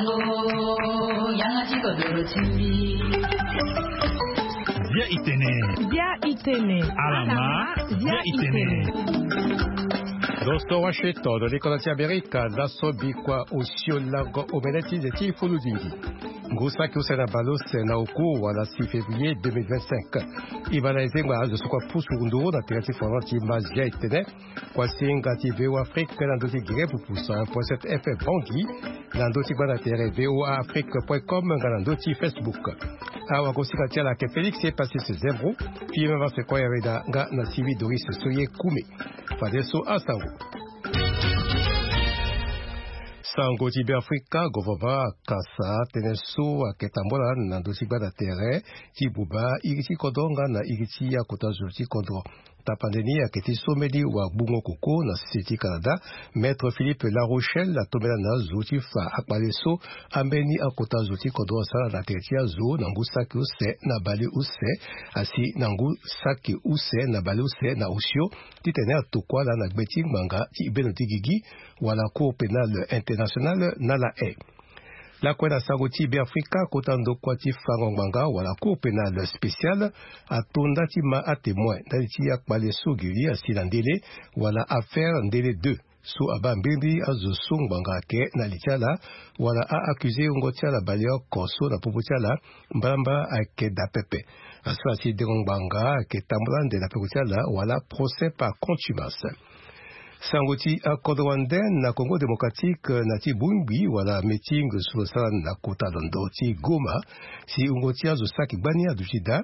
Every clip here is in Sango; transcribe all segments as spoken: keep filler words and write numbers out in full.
Bia itene. Bia itene. Alama. Bia itene. Dosto Washington, do likolo ti Amerika, laso bikua osio lango omene ti nze ti fulu dingi. Ngu saki use na baleuse na oku wala six février deux mille vingt-cinq. E baa na e zengba azo so kue apusu nduru na tere ti forum ti Mazia etene. Kuasinga ti V O A Afrique na ndö ti Guinée pupu cent un point sept F M Bangui, na ndö ti gbanda tere V O A Afrique point com nga na ndö ti Facebook. Awagosinga ti ala ayeke Félix Epasis Zembro, Filemon Vasekoi Areda nga na Sylvie Doris Soye Kume. Fadeso asango. Sango ti Beafrika, gouvernement akasa tënë so ayeke tambula na ndö ti gbanda tere ti buba iri ti kodro nga na iri ti akota zo ti kodro. Tapande ni ayeke ti so mbeni wagbungo koko na sese ti Canada, Maître Philippe Larochelle atombela na azo ti fa akpale so ambeni akota zo ti kodro asara na tere ti azo na ngu saki use na baleuse, asi na ngu saki use na baleuse na osio, titene atokua ala na gbe ti ngbanga ti bendo ti gigi wala Cour pénale internationale na La Haye. Lakue na sango ti Beafrika, kota ndokua ti fango ngbanga wala Cour pénale spéciale ato nda ti ma atémoin ndali ti akpale so gili asi na ndele wala affaire ndele deux so abaa mbirimbiri azo so ngbanga ayeke na li ti ala wala a-accusé wungo ti ala baleoko so na popo ti ala mbalambala ayeke daa pepe. Asara si dengo ngbanga ayeke tambula ande na peko ti ala wala procès par contumace. Sango ti akodro wande na Congo Démocratique na ti bongbi wala meeting so lo sara na kota londo ti Goma, si wungo ti azo saki gbani aduti daa.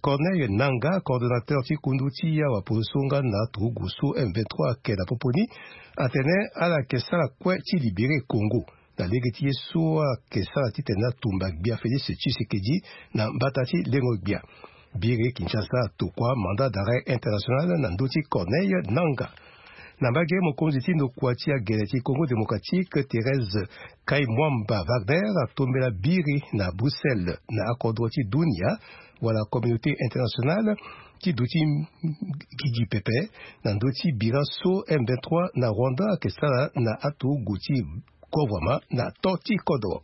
Corneille Nanga, coordonnateur ti kundu ti awapozo so nga na aturugu so M vingt-trois ayeke na popo ni, atene ala yeke sara kue ti libéré Congo. Na lege ti ye so ayeke sara titene atumba gbia Félix Tshisekedi na mbata ti lengo gbia. Biri Kinshasa atokua mandat d'arrêt international na ndö ti Corneille Nanga. Na mbage, mokonzi ti ndokua ti agele ti Congo Démocratique, Thérèse Kaimwamba Wagner, atombela biri na Bruxelles na akodro ti dunia wala communauté internationale ti duti gigi pepe na ndö ti bira so M vingt-trois na Rwanda ayeke sara na aturugu ti gouvernement na to ti kodro.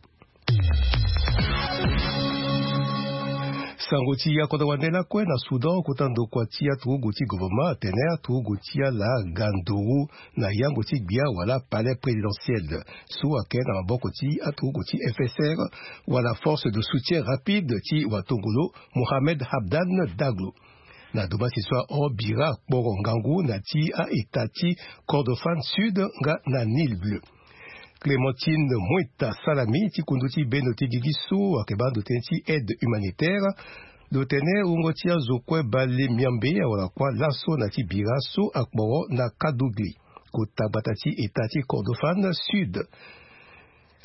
Sango ti akodro wande lakue na Soudan, kota ndokua ti aturugu ti gouvernement atene aturugu ti ala ga nduru na yango ti gbia wala palais présidentiel so ayeke na maboko ti aturugu ti F S R wala force de soutien rapide ti watongolo Mohamed Hamdan Daglo. Na domansi so ahon bira akporo ngangu na ti a-État ti Kordofan Sud nga na Nil Bleu. Clémentine Mwita Salami ti kundu ti bendo ti gigi so ayeke baa ndo tënë ti aide humanitaire, lo tene wungo ti azo kue bale miambe awara kuâ laso na ti bira so akporo na Kadougli, kota gbata ti État ti Kordofan Sud.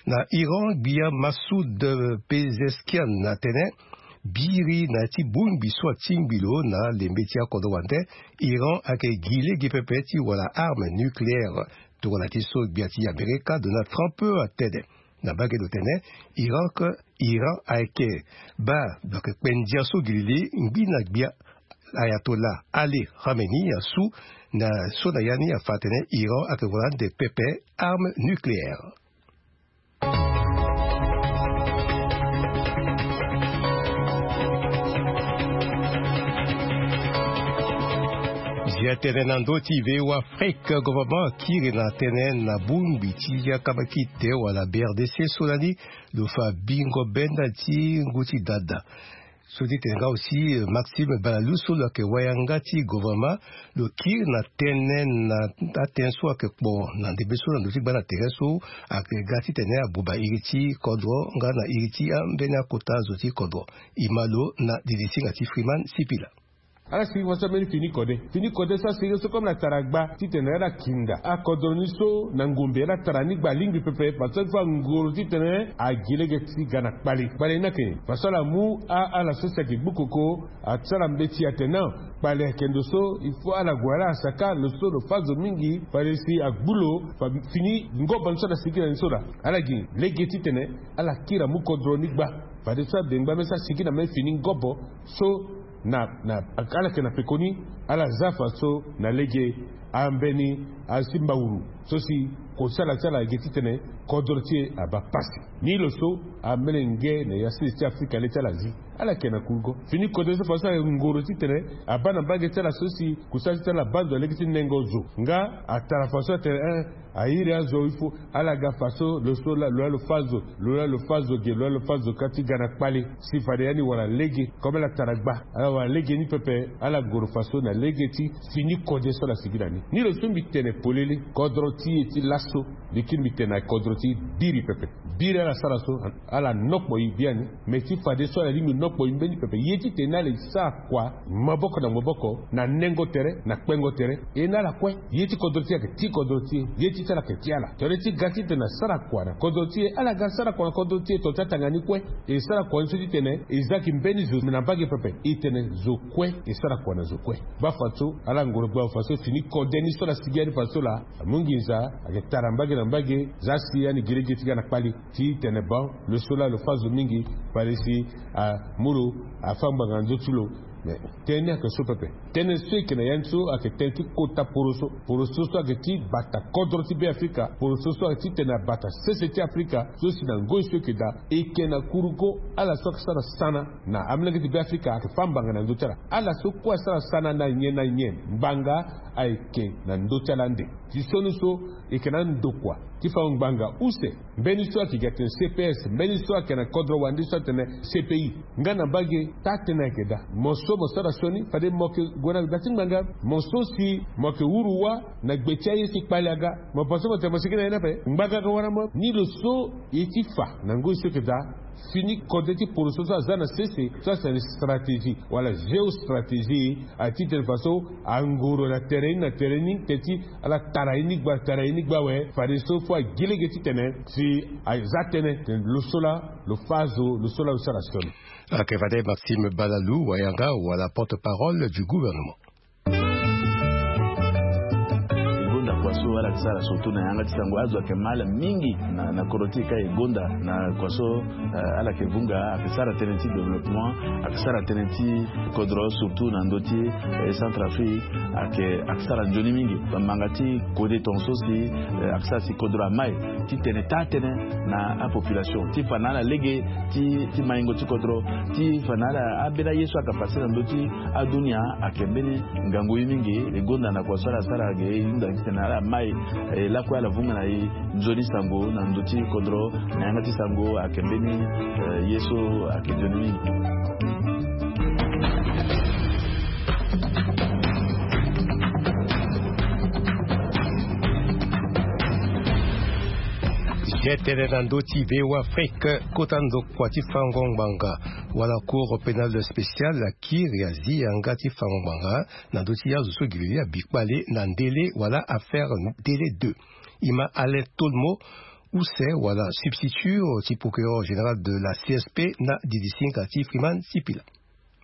Na Iran, gbia Massoud Pezeshkian atene biri na ya ti bongbi so atingbi lo na lembe ti akodro wande, Iran ayeke gi lege pepe ti wara arme nucléaire. Tongana ti so gbia ti Amerika Donald Trump atene. Na mbage lo tene Iran ke, Iran ayeke baa lo yeke kpe ndia so gi lili ngbi na gbia Ayatollah Ali Khamenei asu na so na ya ni afa atene Iran ayeke wara ande pepe arme nucléaire. Zia tënë na ndö ti V O A Afrique, gouvernement akiri na tënë na bongbi ti akambakite wala B R D C so lani lo fa bingo benda ti ngu ti dada. So ti tene nga aussi, euh, Maxime Balalou so lo yeke wayanga ti gouvernement, lo kiri na tënë na atënë so ayeke kpo na ndembe so na ndö ti gbanda tere so ayeke ga titene abuba iri ti kodro nga na iri ti ambeni akota zo ti kodro. E ma lo na didi singa ti Freeman Sipila. Ala sigi faso ambeni fini kode. Fini kode so asigi so comme na tara gba titene ala kinda akodro ni so na ngombe, ala tara ni gba alingbi pepe, faso ti fa ngoro titene agi lege ti ga na kpale. Kpale ni ayeke nyen? Faso ala mu a, ala so si ayeke gbu koko, asara mbeti atene kpale ayeke ndo so il faut ala gue ala saka, lo so lo fâ zo mingi, fade si agbu lo, fa fini ngobo ni so ala sigi na ni so laa. Ala gi lege titene ala kiri amu kodro ni gba. Fade so abengba me so asigi na me fini ngobo so na, na, ala yeke na pekoni, ala za faso na lege ambeni asi mbawuru. so si kosala ti ala ege titene kodro ti e abaa pasi. Ni lo so amelenge na ya sese ti Afrika le ti ala azi, ala yeke na kurugo. Fini kode so fadeso ala ngoro titene abaa na mbage ti ala so si kusala ti tene ala baa ndo na lege ti nengo zo. Nga atara fadeso atene, eh, a iri azo, il faut ala ga fadeso lo so la lo ya lo fâ zo, lo ya lo fâ zo ge, lo ya lo fâ zo ka ti ga na kpale. Si fade ya ni wara lege comme ala tara gba, ala wara lege ni pepe. Ala ngoro fadeso na lege ti fini kode so ala sigi na ni. Ni lo so mbi tene polele, kodro ti e ti laso, mbi kiri mbi tene na kodro ti biri pepe. Biri ala sara so, ala nokpo e biani. Me ti fadeso ala lingbi nokpo e mbeni pepe. Ye titene ala e sara kua maboko na maboko, na nengo tere, na kpengo tere, e na ala kue. Ye ti kodro ti e ayeke ti kodro ti e, ye ti ti ala ayeke ti ala. Tere ti ga titene asara kua na kodro ti e, ala ga sara kua na kodro ti e, to ti atanga ni kue. E sara kua ni so titene e za gi mbeni zo na mbage pepe. E tene zo kue, e sara kua na zo kue. Baa fadeso ala ngoro gba fadeso fini kode ni so ala sigi ya ni fadeso laa, amu nginza, ayeke tara mbage na mbage, za si ya ni gi lege ti ga na kpale. Ti tene bon, lo so laa lo fâ zo mingi, fade si amu lo afâ ngbanga na ndö ti lo. Mais tënë ni ayeke so pepe. Tënë so e yeke na ya ni so ayeke tënë ti kota poroso. Poroso so ayeke ti bata kodro ti Beafrika. Poroso so ayeke titene abata sese ti Afrika so si na ngoi so e yeke daa, e yeke na kurugo ala so ayeke sara sana na amolenge ti Beafrika ayeke fâ ngbanga na ndö ti ala. Ala so kue asara sana na nyen na nyen, ngbanga ayeke na ndö ti ala ande. Ti sioni so e yeke na andokua ti fango ngbanga use. Mbeni so ayeke gi atene C P S, mbeni so ayeke na kodro wande so atene C P I. Nga na mbage taa-tënë ayeke daa. Mo so mo sara sioni fade mo yeke gue na da ti ngbanga. Mo so si mo yeke wuru wâ na gbe ti aye si kpale aga, mo pense mo tene mo sigi na ye ni ape? Ngbanga aga wara mo. Ni lo so ye ti fa na ngoi so ayeke daa. Fini kode ti poroso so aza na sese so atene stratégie wala géostratégie, aye titene fadeso angoro na tere ni na tere ni, teti ala tara ye ni gba, tara ye ni gba awe. Fadeso fo agi lege titene si aza tënë tene lo so laa lo fâ zo, lo so laa lo sara sioni. Ayeke fade Maxime Balalou Wayanga wala porte-parole du gouvernement. E gonda kua so ala yeke sara surtout na yanga ti sango, azo ayeke mal mingi na, na kodro ti e ka e gonda na kua so, eh, ala yeke vunga, ayeke sara tënë ti développement, ayeke sara tënë ti kodro surtout na ndö ti, eh, Centrafrique, ayeke, ayeke sara nzoni mingi. Bamanga ti kode tongaso si, eh, ayeke sara si kodro amai titene taa-tënë na apopulation ti fa na ala lege ti, ti maingo ti kodro, ti fa na ala ambeni aye so ayeke passe na ndö ti adunia ayeke mbeni ngangu ye mingi. E gonda na kua so ala sara ge e hunda titene ala mai, eh, lakue ala vunga na e nzoni sango na ndö ti kodro na yanga ti sango ayeke mbeni, eh, ye so ayeke nzoni mingi. Ye tene na ndö ti V O A Afrique, kota ndokua ti fango ngbanga wala Cour pénale spéciale akiri azi yanga ti fango ngbanga na ndö ti azo so gi lili abi kpale na ndele wala affaire ndele deux. E ma Alain Tolmo use wala substitut ti procureur général de la C S P na didisinga ti Freeman Sipila.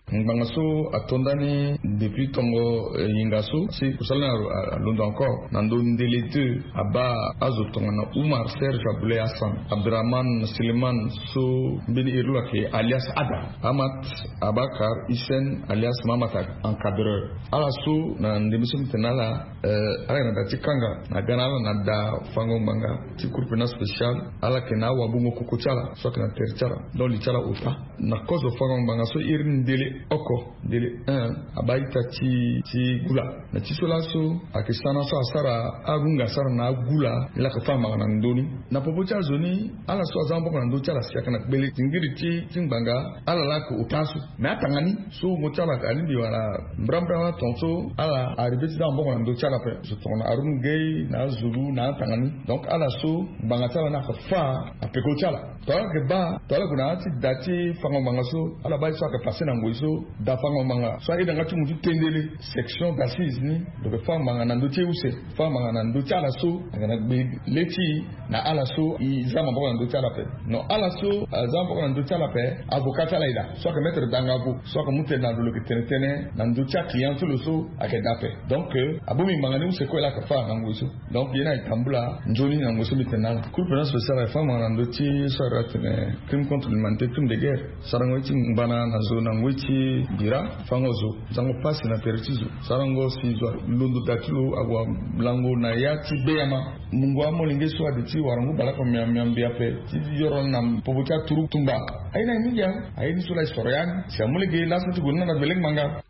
Ngbanga so ato ndani depuis tongo, eh, hinga so si kusala ni a, a, alondo encore na ndö ndele deux, abaa azo tongana Oumar Serge Aboulaye Hassan, Abdourahmane Suleiman so mbeni iri lo ayeke alias Ada, Amat Abakar Hissène alias Mamata encadreur. Ala so na ndembe so mbi tene na ala, eh, ala yeke na da ti kanga, na ga na ala na da fango ngbanga ti Cour pénale spéciale, ala yeke na awabungo koko ti ala so ayeke na tere ti ala. Donc li ti ala ota na kozo fango ngbanga so iri ni ndele oko, ndele un, abaa ita ti, ti gula. Na ti so laso ayeke sana so asara arunga asara na agula, ni la yeke fâ ngbanga na ndö ni. Na popo ti azo ni, ala so aza maboko na ndö ti ala si ayeke na gbele ti ngiri ti, ti ngbanga, ala la yeke ota aso. Me atanga ni so wungo ti ala alingbi wala mbrambra wala tongaso ala arrivé ti za maboko na ndö ti ala ape. Zo tongana Haroun Gueye na azulu na atanga ni. Donc ala so ngbanga ti ala ni ayeke fâ apeko ti ala. Tongana ala yeke baa, tongana ala gue na ya ti da ti fango ngbanga so, ala baa ye so ayeke passé na ngoi so, da fango ngbanga so aye na yanga ti mu ti tendele, section d'assises ni, lo yeke fâ ngbanga na ndö ti e use, fâ ngbanga na ndö ti ala so ayeke na gbe le ti e, na ala so e za maboko na ndö ti ala ape. Non, ala so aza maboko na ndö ti ala ape, avocat ti ala e daa so ayeke maître Dangabo so ayeke mu tënë na lo, lo yeke tene tënë na ndö ti aclient ti lo so ayeke daa ape. Donc, eh, abongbi ngbanga ni use kue la ayeke fâ na ngoi so. Donc ye ni ayeke tambula nzoni na ngoi so mbi tene na ala. Cour pénale spéciale ayeke fâ ngbanga na ndö ti so Atene crime contre l'humanité, crime de guerre. Sarango ye ti ngbana na zo na ngoi ti bira, fango zo, zango pasi na tere ti zo. Sarango si zo alondo da ti lo ague lango na ya ti beyama. Mungo amolenge so ade ti warangu baleoko miamia mbi ape ti yoro na popo ti aturu tumba. Aye na ye mingi. Aye ni so la histoire yani si amolenge laso ti gue na na belek manga.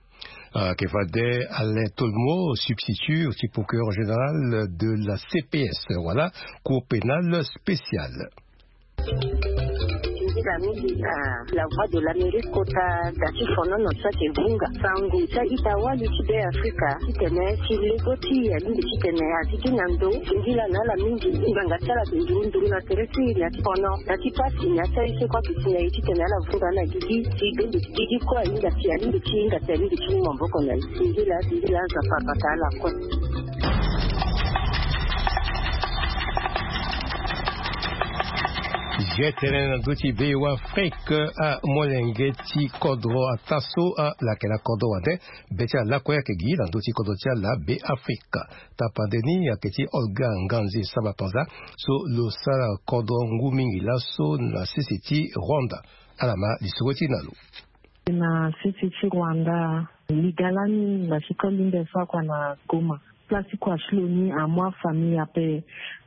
Ah, ke fade Alain Tolmo, substitut ti procureur général de la C P S, voilà, Cour pénale spéciale. Nzila mingi na La Voix de l'Amérique kota da ti fonono so ayeke vunga sango ti a-ita wali ti Be Afrika titene ti lego ti alingbi titene azi gi na ndo. Nzila na ala mingi ngbanga ti ala ayeke nduru nduru na tere ti na ti fono na ti pasi na ti aye so kue ayeke si na ye titene ala vunga na gigi ti bende ti gigi kue ahinga si alingbi ti hinga si alingbi ti mu maboko na ye. Nzila nzila aza papa ka ala kue. Ye tënë na ndö ti Be Afrika, amolenge ti kodro ata so ala yeke na kodro wande be ti ala lakue ayeke gi na ndö ti kodro ti ala Be Afrika. Tapande ni ayeke ti Olga Nganzi Samba Panza so lo sara kodro ngu mingi laso na sese ti Rwanda. Ala ma lisoro ti na lo. Na sese ti Rwanda, liga lani na ti koli nde so akua na Goma. Place ti kua ti lo ni amu afamille ape.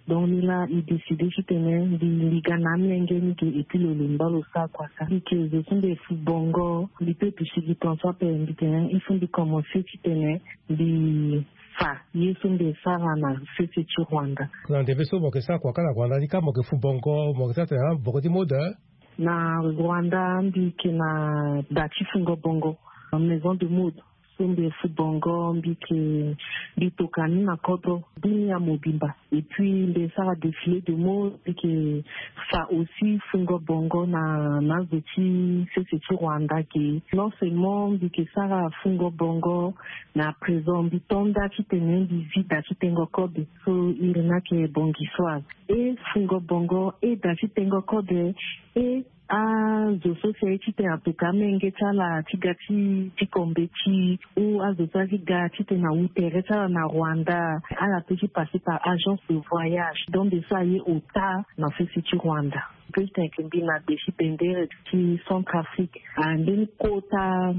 Donc ni la e décide titene mbi liga na amolenge ni ge et puis lo lemba lo sara kua sara. Mbi ke zo so mbi fu bongo, mbi pe duti gi tongaso ape mbi tene il faut mbi commencer titene mbi fa ye so mbi sara na sese ti Rwanda. Na ndembe so mo ke sara kua ka na Rwanda ni ka mo ke fu bongo, mo ke sara tene ah, bongo ti mode, eh? Na Rwanda mbi ke na da ti fungo bongo, maison de mode. So mbi fu bongo mbi ke, mbi toka ni na kodro dunia mobimba. Et puis mbi sara défilé de mode, mbi ke fa aussi fungo bongo na, na zo ti sese ti Rwanda ge. Non seulement mbi ke sara fungo bongo, mais à présent mbi to nda titene mbi zi da ti tengo kobe. So iri ni ayeke bongi so azo. E fungo bongo, e da ti tengo kobe, e azo so si aye titene atoka amenge ti ala ti ga ti, ti ko mbeti, ou azo so aye ti ga titene awu tere ti ala na Rwanda, ala peut ti passer par agence de voyage. Donc mbi so aye ota na sese ti Rwanda. Mbi tene mbi na gbe ti bendere ti Centrafrique. Ah, ndeni kota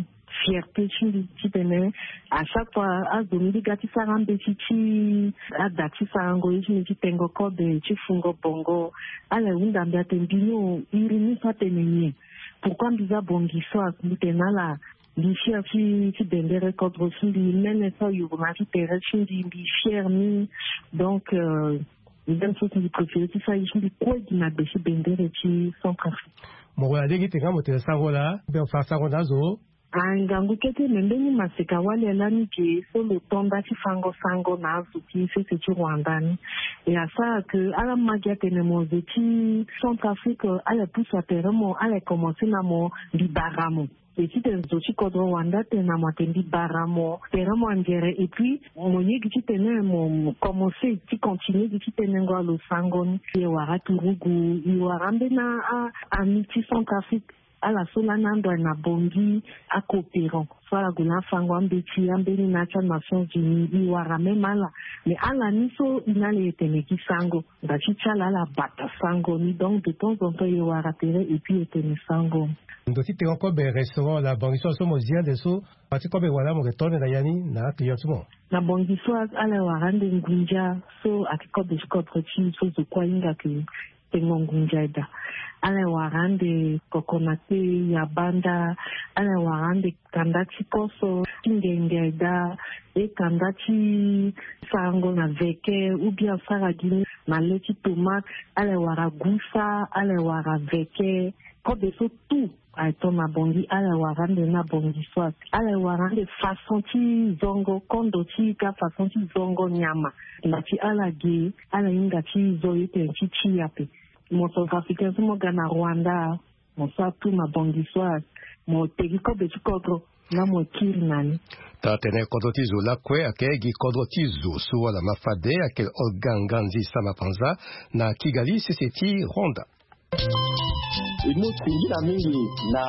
fierté ti mbi titene à chaque fois azo mbi ga ti sara ambeti ti ada ti sarango ye ti mbi ti tengo kobe ti fungo bongo. Ala hunda mbi atene mbi ni o, iri ni so atene nyen? Pourquoi mbi za bongi so? Mbi tene na ala mbi fier ti, ti bendere kodro ti mbi, mene so ayuru na ya ti tere ti mbi, mbi fier ni. Donc euh, même so si mbi préféré ti sara ye ti mbi kue gi na gbe ti bendere ti Centrafrique. Mo wara lege ti nga mo tene sango laa mbi fa sango na azo. Ah, ngangu kete me mbeni maseka wali lani ge so lo to nda ti fango sango na azo ti sese ti Rwanda ni. E asara ke ala ma gi atene mo zo ti Centrafrique, ala pusu atere mo, ala commencé na mo mbi bara mo. E titene zo ti kodro Rwanda atene na mo atene mbi bara mo, tere mo angere, et puis mo ye gi titene mo, mo commencé ti continuer gi ti tenengo alo sango ni. E wara turugu, e wara ambeni a, a, ami ti Centrafrique. Ala so lani ando aye na Bangui, acoopérant so ala gue na afango ambeti ambeni na ya ti aNations Unies, e wara même ala. Mais ala ni so e na ala e tene gi sango, nda ti ti ala ala bata sango ni. Donc de temps en temps e wara tere et puis e tene sango. Ndo ti tengo kobe restaurant la Bangui so, so mo zi ande so, parti kobe wala mo ke to ande na ya ni na aclient ti mo? Na Bangui so ala e wara ande ngunza so ayeke kobe ti kodro ti e so zo kue ahinga ke tengo ngunza daa. Ala e wara ande kokonate, yabanda, ala e wara ande kanda ti koso, ti ngenge daa, e kanda ti sarango na veke, ou bien asara gi ni na le ti tomate, ala e wara gusa, ala e wara veke, kobe so tout. Aye to na Bangui, ala e wara ande na Bangui soit. Ala e wara ande façon ti zongo kondo ti ita, façon ti zongo nyama. Nda ti ala ge, ala hinga ti zo ye tene ti ti ape. Mo Centrafricain so mo ga na Rwanda, mo sara tout na Bangui soit, mo tegi kobe ti kodro, nga mo kiri na ni. Taa tene kodro ti zo lakue ayeke gi kodro ti zo so wala ma fade ayeke Olga Nganzi Samba Panza na Kigali, sese ti Rwanda. E mu singila mingi na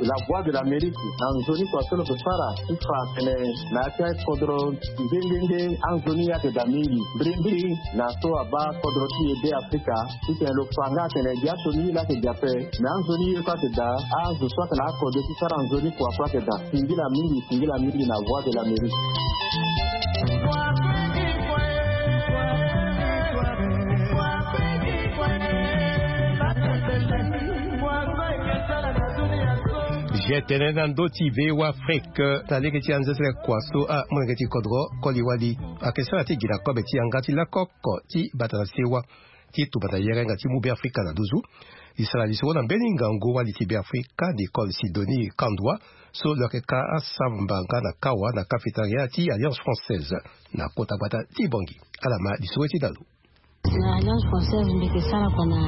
La Voix de l'Amérique na nzoni kua so lo yeke sara ti fa atene na ya ti akodro nde nde nde anzoni ayeke daa mingi. Mbirimbiri na so abaa kodro ti e Be Afrika titene lo fa nga atene gi asioni ye laa ayeke gi ape. Me anzoni ye kue ayeke daa, azo so ayeke na akode ti sara nzoni kua kue ayeke daa. Singila mingi, singila mingi na Voix de l'Amérique. Zia tënë na ndö ti V O A Afrique na lege ti anzezele kua so amolenge ti kodro koli wali ayeke sara ti gi na kobe ti yanga ti lakoko ti bata na sewa ti tumba na yere nga ti mu Be Afrika na nduzu. Li sara lisoro na mbeni ngangu wali ti Be Afrika Nicole Sidonie Kandwa so lo yeke ka asamba nga na kawa na cafétéria ti Alliance Française na kota gbata ti Bangui. Ala ma lisoro ti dalo. Na Alliance Française mbi yeke sara kua na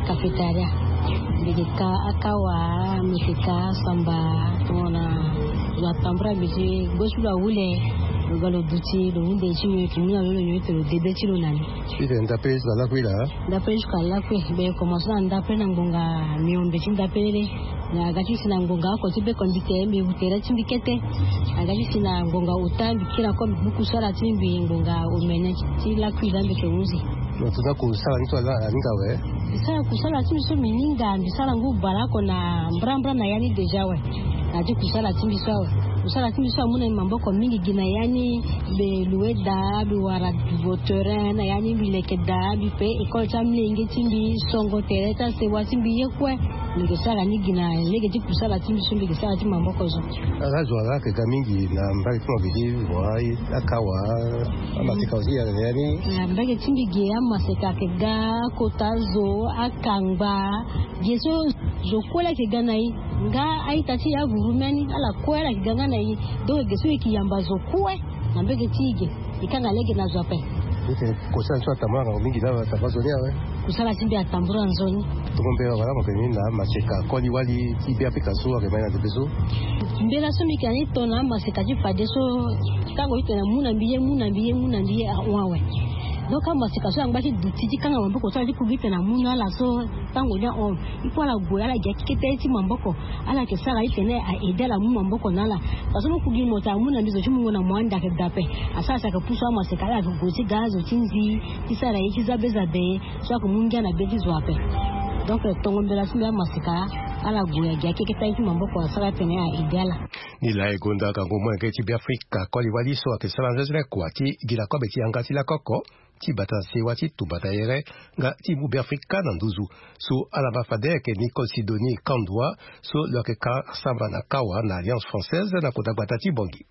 cafétéria. Mbi yeke ka akawa, mbi yeke ka asamba tongana lo atambula mbi ti gbe ti lo ahule, lo ga lo duti lo hunde ti nyon ti mu na lo lo nyon ti lo debe ti lo na ni. Ti tene ndapele ti lo alakue laa? Ndapele ti lo alakue. Mbi commence na ndapele na ngbonga miombe ti ndapele. Na aga ti si na ngbonga oko ti be kondite mbi wu tere ti mbi kete. Aga ti si na ngbonga ota mbi kiri ako mbi gbu kusala ti mbi ngbonga omene ti lakui laa mbi yeke hunzi. Lo tongana kusala ni so ala aninga awe? Mbi sara kusala ti mbi so mbi ninga, mbi sara ngu baleoko na mbrambra na ya ni déjà awe. Na ya ti kusala ti mbi so awe. Kusala ti mbi so amu na mbi maboko mingi gi na ya ni. Mbi loue daa, mbi wara voterin na ya ni, mbi leke daa, mbi pe école ti amolenge ti mbi, songo tere ti asewa ti mbi ye kue. Mbi yeke sara ni gi na lege ti kusala ti mbi so mbi yeke sara ti maboko so. Ala zo ala yeke ga mingi na mbage ti mo gi ti voi akawa, amaseka aussi ayeke na ya ni. Na mbage ti mbi ge amaseka ayeke ga, akota zo, akangba. Ge so zo kue la yeke ga na e. Nga a-ita ti e avuru mê ni ala kue ala yeke ga nga na e. Donc ge so e yeke yamba zo kue na mbage ti e ge. E kanga lege na zo ape. Ete kusala ti so atambula na mingi na atambula nzoni awe. Kusala ti mbi atambula nzoni. Tongo mbela wala mo yeke ni na amaseka koli wali ti Be Afrika so ayeke ma e na ndembe so? Mbela so mbi yeke na ni tongana amaseka ti fadeso, tango ti tene mu na mbi ye, mu na mbi ye, mu na mbi ye ahon awe. Donc amaseka so angba ti duti ti kanga maboko ti ala ti ku gi tene amu na ala so, tango ni ahon. Il faut ala gue ala gi akeke ti maboko. Ala yeke sara ti tene a aide ala mu maboko na ala. Parce que mo ku gi mo tene amu na mbi zo ti mungo na mo ande ayeke daa ape. Asara si ayeke pusu amaseka ala yeke gue ti ga azo ti nzi ti sara ye ti zabe zabe so ayeke mu ngia na be ti zo ape. Donc tongo mbela ti mbi amaseka ala gue agi akeke ti aye ti maboko asara ti tene a aide ala. Ni laa e gonda gango molenge ti Be Afrika koli wali so ayeke sara nzenzele kua ti gi na kobe ti yanga ti lakoko ti bata na sewa ti tumba na yere nga ti mu Be Afrika na nduzu. So ala ma fade ayeke Nicole Sidonie Kandwa so lo yeke ka samba na kawa na Alliance Française na kota gbata ti Bangui.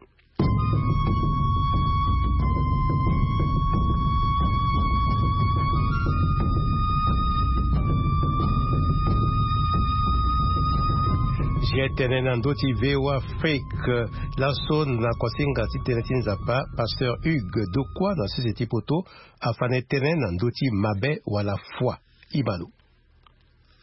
Zia tënë na ndö ti V O A Afrique. Laso na kuasinga ti tënë ti Nzapa, pasteur Hugues Dokua na sese ti poto afa na e tënë na ndö ti mabe wala foi. Imalo.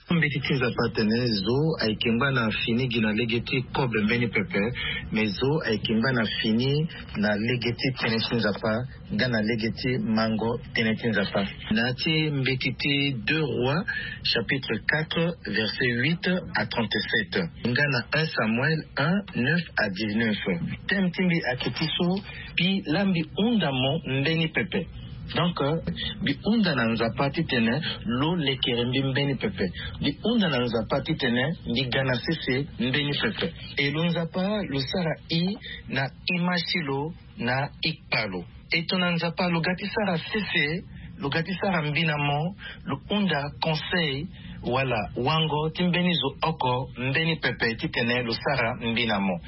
Mbeti ti Nzapa atene zo ayeke ngba na fini gi na lege ti kobe mbeni pepe, me zo ayeke ngba na fini na lege ti tënë ti Nzapa nga na lege ti mango tënë ti Nzapa. Na ya ti mbeti ti deux Rois chapitre quatre verset huit à trente-sept, nga na un Samuel un neuf à dix-neuf. Thème ti mbi ayeke ti so: Mbi laa mbi hunda mo mbeni pepe. Donc mbi hunda na Nzapa titene lo lekere mbi mbeni pepe. Mbi hunda na Nzapa titene mbi ga na sese mbeni pepe. E lo Nzapa lo sara i na image ti lo na ikpa lo. E tongana Nzapa lo ga ti sara sese, lo ga ti sara mbi na mo, lo hunda conseil wala wango ti mbeni zo oko mbeni pepe titene lo sara mbi na mo.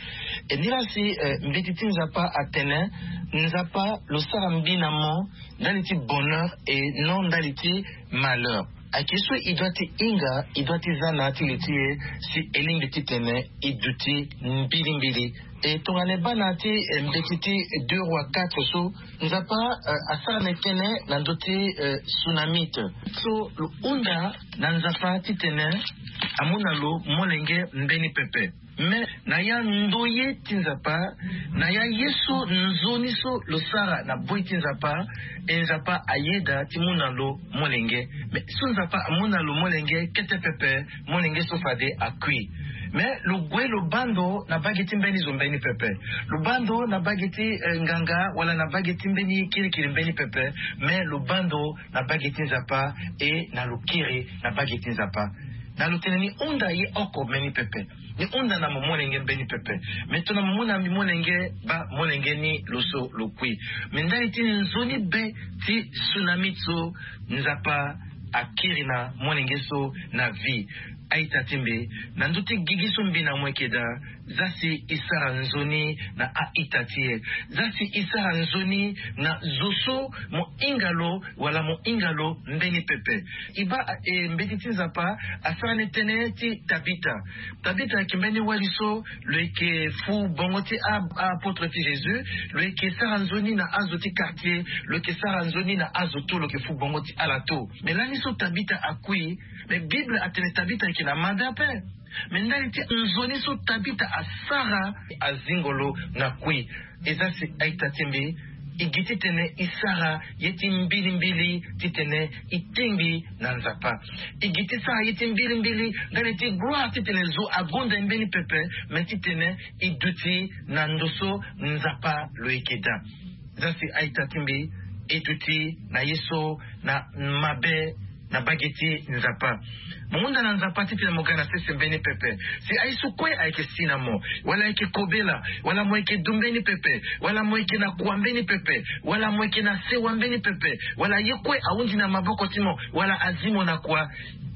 E nilaa si eh, mbeti ti Nzapa atene Nzapa lo sara mbi na mo ndali ti bonheur et non ndali ti malheur. Ayeke so e doit ti hinga, e doit ti za na ya ti li ti e si e lingbi titene e duti mbilimbili. E tongana e baa na ya ti eh, mbeti ti deux Rois quatre so, Nzapa eh, asara na e tënë na ndö ti eh, Sunamite so lo hunda na Nzapa titene amu na lo molenge mbeni pepe. Mais na ya ndoye ti Nzapa, na ya ye so nzoni so lo sara na boi ti Nzapa, e Nzapa ayeda ti mu na lo molenge. Mais so Nzapa amu na lo molenge kete pepe, molenge so fade akui. Mais lo gue lo bando na bage ti mbeni zo mbeni pepe. Lo bando na bage ti eh, nganga wala na bage ti mbeni kirikiri mbeni pepe. Mais lo bando na bage ti Nzapa, e na lo kiri na bage ti Nzapa. Na lo tene ni hunda ye oko mbeni pepe. Ni hunda na mo molenge mbeni pepe. Me tongana mo mu na mbi molenge, baa molenge ni lo so lo kui. Me ndali ti nzoni be ti tsunami so Nzapa akiri na molenge so na vie. A-ita ti mbi, na ndö ti gigi so mbi na mo yeke daa, zia si e sara nzoni na a-ita ti e. Zia si e sara nzoni na zo so mo hinga lo wala mo hinga lo mbeni pepe. E baa eh, mbeti ti Nzapa asara ni tënë ti Tabita. Tabita ayeke mbeni wali so lo yeke fu bongo ti a- a-apôtre ti Jésus. Lo yeke sara nzoni na azo ti quartier, lo yeke sara nzoni na azo to, lo yeke fu bongo ti ala to. Me lani so Tabita akui, me Bible atene Tabita ayeke na mabe ape. Me ndali ti nzoni so Tabita asara, azingo lo na kui. E zia si a-ita ti mbi, e gi titene e sara ye ti mbilimbili titene e tingbi na Nzapa. E gi ti sara ye ti mbilimbili ndali ti gloire titene zo agonda e mbeni pepe, me titene e duti na ndo so Nzapa lo yeke daa. Zia si a-ita ti mbi, e duti na ye so na mabe na bage ti Nzapa. Mo hunda na Nzapa titene mo ga na sese mbeni pepe. Si aye so kue ayeke si na mo, wala ayeke kobela, wala mo yeke du mbeni pepe, wala mo yeke na kua mbeni pepe, wala mo yeke na sewa mbeni pepe, wala ye kue ahundi na maboko ti mo, wala azi mo na kua,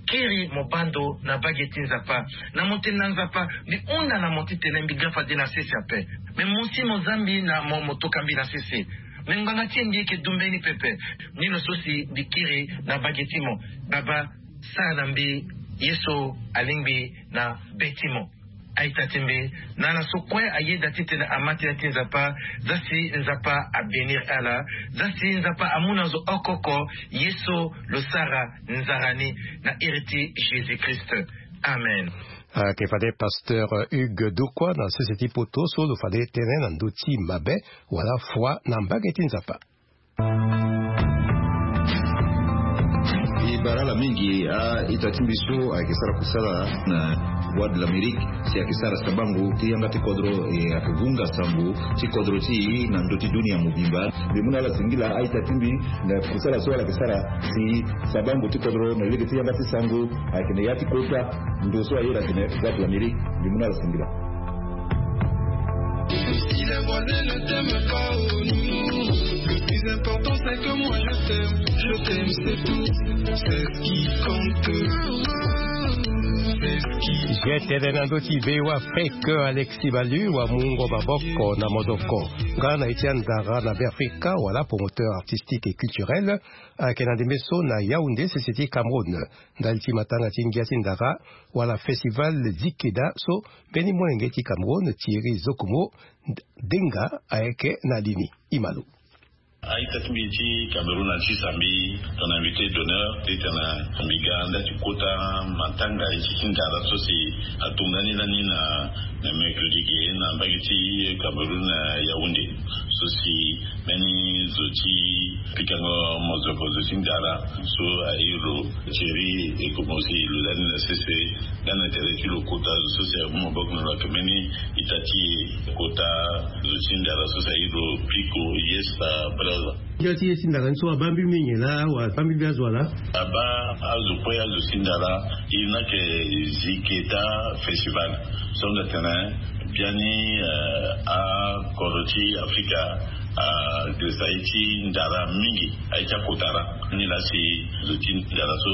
kiri mo baa ndo na bage ti Nzapa. Na mo tene na Nzapa, mbi hunda na mo titene mbi ga fade na sese ape. Me mo si mo za mbi na mo, mo toka mbi na sese. Me ngbanga ti e mbi yeke du mbeni pepe. Ni lo so si mbi kiri na bage ti mo. Baba, sara na mbi ye so alingbi na be ti mo. A-ita ti mbi, na ala so kue ayeda titene ama tënë ti Nzapa, zia si Nzapa abénir ala, zia si Nzapa amu na zo oko oko ye so lo sara nzara ni, na iri ti Jésus-Christ. Amen. Ayeke fade pasteur Hugues Dokua na sese ti poto so lo fade tënë na ndö ti mabe wala foi na mbage ti Nzapa. E bara ala mingi a-ita ti mbi so ayeke sara kusala na Voix de l'Amérique, si ayeke sara sabango ti yanga ti kodro, e ayeke hunga sango ti kodro ti e na ndö ti dunia mobimba. Mbi mu na ala singila a-ita ti mbi na kusala so ala yeke sara si sabango ti kodro na lege ti yanga ti sango ayeke na ya ti kota. Ndo so ayeda atene Voix de l'Amérique, mbi mu na ala singila. Si les voisins ne t'aiment pas, oh nounou, le plus important c'est que moi je t'aime. Je t'aime, c'est tout. C'est ce qui compte. C'est ce qui... Ye tene na ndö ti V O A Afrique, Alexis Balu amungo maboko na modoko. Nga na ye ti andara na Beafrika wala promoteur artistique et culturel ayeke na ndembe so na Yaoundé, sese ti Cameroun, ndali ti matanga ti ngia ti ndara wala festival Zikeda so mbeni molenge ti Cameroun, Thierry Zokomo Denga, ayeke na li ni. Imalo. A-ita ti mbi ti Cameroun, a ti sambi tongana invité d'honneur titene mbi ga nda ti kota matanga ye ti ndara so si atonga ni lani na, na mercredi ge na mbage ti Cameroun na Yaoundé. So si mbeni zo ti pikango mozoko, zo ti ndara so aye lo Thierry Zokomo si lo lani na sese, nga na tere ti lo kota zo so si amu maboko na lo, ayeke mbeni ita ti e kota zo ti ndara so si aye lo Piko Yesta Braza. Ngia ti ye ti ndara ni so abaa mbi mingi laa, wala abaa mbi mbi azo wala? Abaa azo kue, azo ti ndara. E na yeke Ziketa Festival so nga tene biani, eh, akodro ti Afrika agresa ye ti ndara mingi, aye ti akota ra. Ni laa si zo ti ndara so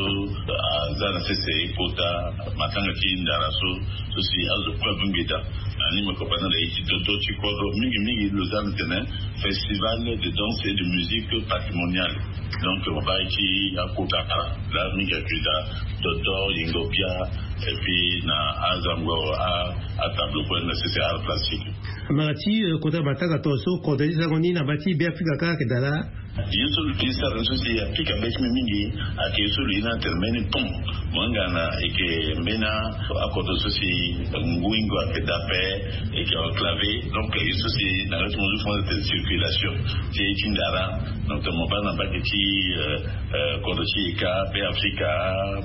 aza na sese kota matanga ti ndara so, so si azo kue abongbi daa. Ani me kobana na ye ti dodo ti kodro mingi mingi, lo za na tene Festival de danse et de musique patrimoniale. Donc mo baa ye ti akota ra laa mingi ayeke daa dodo, yengo bia, et puis na azango a, atable kue na sese art plastique. Mara ti kota matanga tongaso kodro ti sango ni na mba ti Beafrika kâ ayeke daa laa. Ye so lo ye sara ni so si apika be ti mbi mingi, ayeke ye so lo ye ni atene mbeni pont. Mo yanga na eke mbeni akodro so si ngu hingo ayeke daa ape, eke enclavé. Donc ye so si na ya ti mo zo fo atene circulation ti ye ti ndara. Donc mo baa na mbage ti kodro ti eka Beafrika,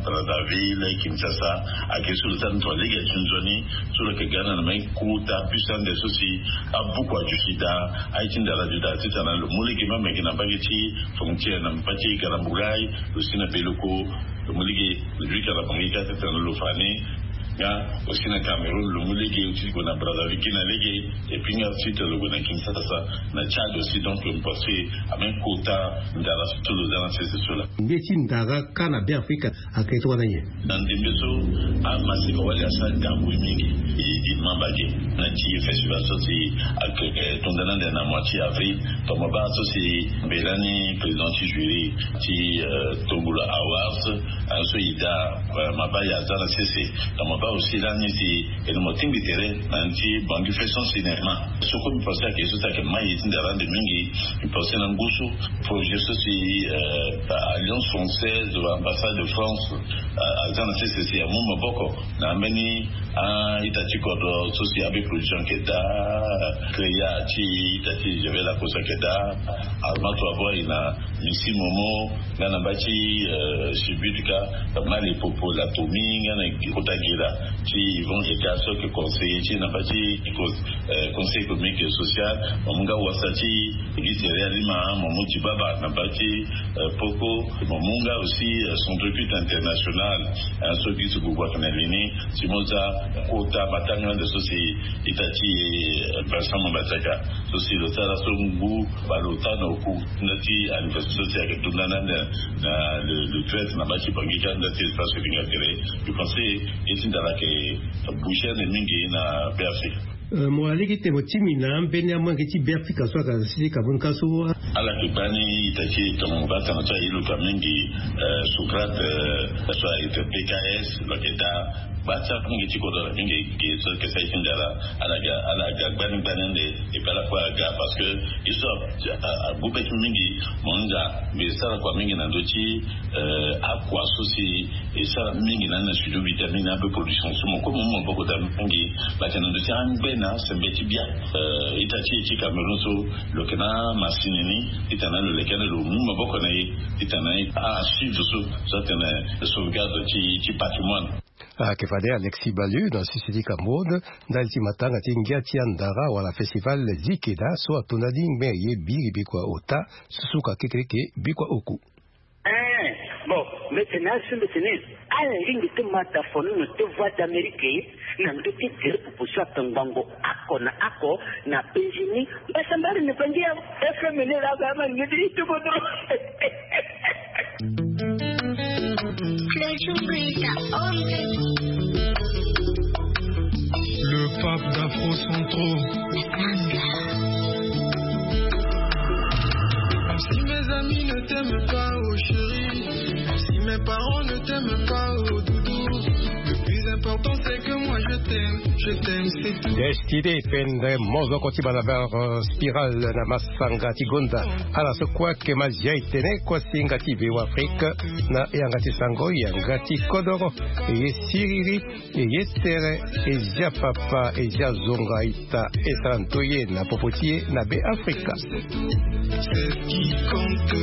Brazzaville, Kinshasa, ayeke ye so lo sara ni tongana lege aye ti nzoni so lo yeke ga na na mbeni kota bus ande so si abuku aduti daa aye ti ndara aduti daa titene lo mu lege même ayeke na mbage ti frontière na mbage ti Garambugai, lo si na Beloko, lo mu lege lo duti ka na Bangui kâ titene lo fa ni. Nga aussi na Cameroun lo mu lege ti gue na Brazzaville gi na lege. Et puis nga aussi titene lo gue na Kinshasa, na Tchad aussi. Donc mo pense ame kota ndara so lo za na sese so laa. Nde ti ndara kâ na Beafrika ayeke tongana nyen? Na ndembe so amaseka wali asara ngangu mingi. E, e mamba ge na ti festival so si ayeke, eh, tongana ande na mois ti avril. Tongana mo baa so si mbela ni président ti jury ti, eh, Tombola Awards, eh, so e daa, eh, mabaya aza na sese. Tongana mo baa aussi lani si e na mo tingbi tere na ya ti Bangui Festons Cinéma. So kue mbi pense ayeke ye so si ayeke mai ye ti ndara ande mingi. Mbi pense na ngu so projet so si, eh, Alliance Française, ambassade de France, eh, aza na sese si amu maboko na ambeni a-ita ti kodro so si A B Production ayeke daa, Créa ti ita ti Javel Lacoste ayeke daa, Armato Avoine na Missy Momo, nga na mba ti, eh, Subud kâ, Mali Popo Latomi, nga na kota Gira ti Yvon Eka so ayeke conseiller ti na mba ti cons-, eh, Conseil économique et social, mo mu nga wasa ti Guy Thierry Alima, mo mu Dibaba na mba ti, eh, Poko, mo mu nga aussi, eh, Centre Culte International, eh, so Guy Sugugu ayeke na li ni, si mo za kota matanga ande so si ita ti, eh, Vincent Mambazaka, so si lo sara so ngu baleota na oku nda ti anniversaire so si ayeke tongana ande na le, le treize na mba ti Bangui kâ nda ti espace Vinga Tere. Mbi pense ye ti ndara ayeke bouger ande mingi na Beafrika. Eh, mo wara lege ti tene mo timi na ambeni amolenge ti Beafrika so ayeke na sese Cameroun kâ so. Ala yeke gbani ita ti e tongana mo baa tanga so aye lo ka mingi, eh, Socrate, eh, so ayeke P K S, lo yeke daa. Baa ti amolenge ti kodro ala mingi ge so ayeke sara ye ti ndara, ala ga, ala ga gbani gbani ande, et puis ala kue aga parce que ye so a, a, agu be ti mbi mingi, mo hinga mbi sara kua mingi na ndö ti, eh, akua so si e sara mingi na ni na studio Vitamine A B Production so mo kue mo mu maboko daa mingi. Lo yeke na ndö ti angbene sembe ti bia, eh, ita ti e ti Cameroun so lo yeke na masini ni, titene lo leke ande lo mu maboko na e, titene a suivre so, so atene sauvegarde ti, ti patrimoine. Ayeke fade Alexis Balieu na sese ti Cameroun ndali ti matanga ti ngia ti andara wala festival Zikeda so atonda ni ngbe ye biri bikua ota, susuka kekereke bikua oku. Eh, bon, mbi tene azo mbi tene ala lingbi ti ma tafono na ti Voix d'Amérique na ndö ti gere popo so ayeke ngbongo oko na oko na penzi ni. Mbasambala ni pangi ya F M ni la ga ma ni ti tuko dro. Le pape d'Afro Centro. Si mes amis ne t'aiment pas, oh chérie, si mes parents ne t'aiment pas, oh doudou, le plus important c'est que moi je t'aime, je t'aime, c'est tout. Destine Pendre, mozoko ti balabala, euh, Spirale na masanga ti gonda. Ala so kue ayeke mazia e tene kue si yanga ti Bêafrika na yanga ti sango, yanga ti kodoro, e ye siriri, e ye sere, e zia papa, e zia zonga ita, e sara ndoye na popo ti e na Bêafrika. C'est ce qui compte.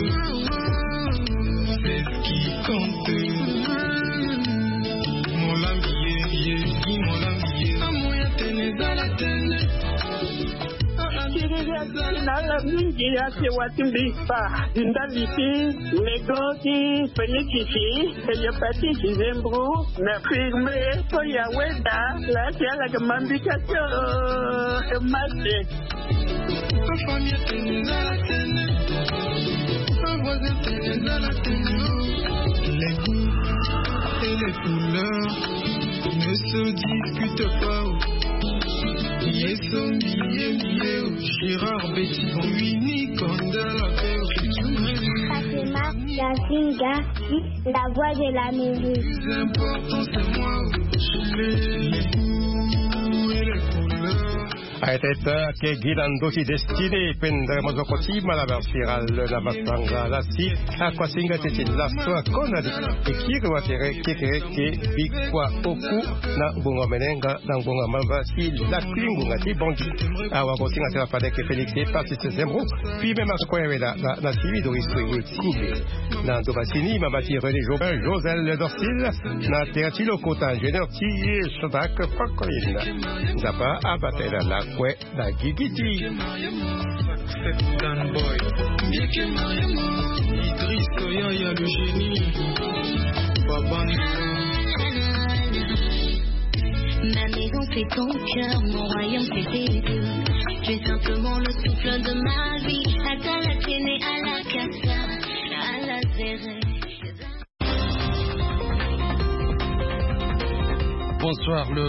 C'est ce qui compte. Molambi ye, ye, Guy Molambi ye. Amoya tene, zala tene. Siriri ati na ala mingi ati watimbi pa ndali ti lego ti penikisi, hépatite, nzembro, na firme, so ya weda la ti ala ke mambika tio, e mase. Ma famille tene, zala tene. Ma voisin tene, zala tene. Les goûts et les couleurs ne se discutent pas. Yeso mbiye mbiye, Gérard Bétison, Winnie Kanda la paix. Fatima Yasinga, la voix de l'Amérique. Le plus important c'est moi. Les goûts et les couleurs. Aye teta ke gi na ndö ti Destiné, pendere mozoko ti Malabar Siral na masanga lasi. Akuasinga ti ti laso akona ni e kiri watere kekereke bikua oku na ngbonga menenga na ngbonga mamba ti lakui ngbonga ti Bangui. Awagosinga ti la fade ke Félix e pasi ti zembro. Puis même akue wela na, na sivi Doris Koué Wetsimbe. Na ndokasini mamba ti René Jobin, Josel Dorsil, na tere ti lokota ingénieur ti Shadrach Fakoyenda. Nzapa abatela lakue na gigi ti. Idriss Yaya le génie. Babang. Ma maison c'est ton cœur, mon royaume c'est tes yeux. Tu es simplement le souffle de ma vie. Ata la tiene a la casa, a la zere. Bonsoir, le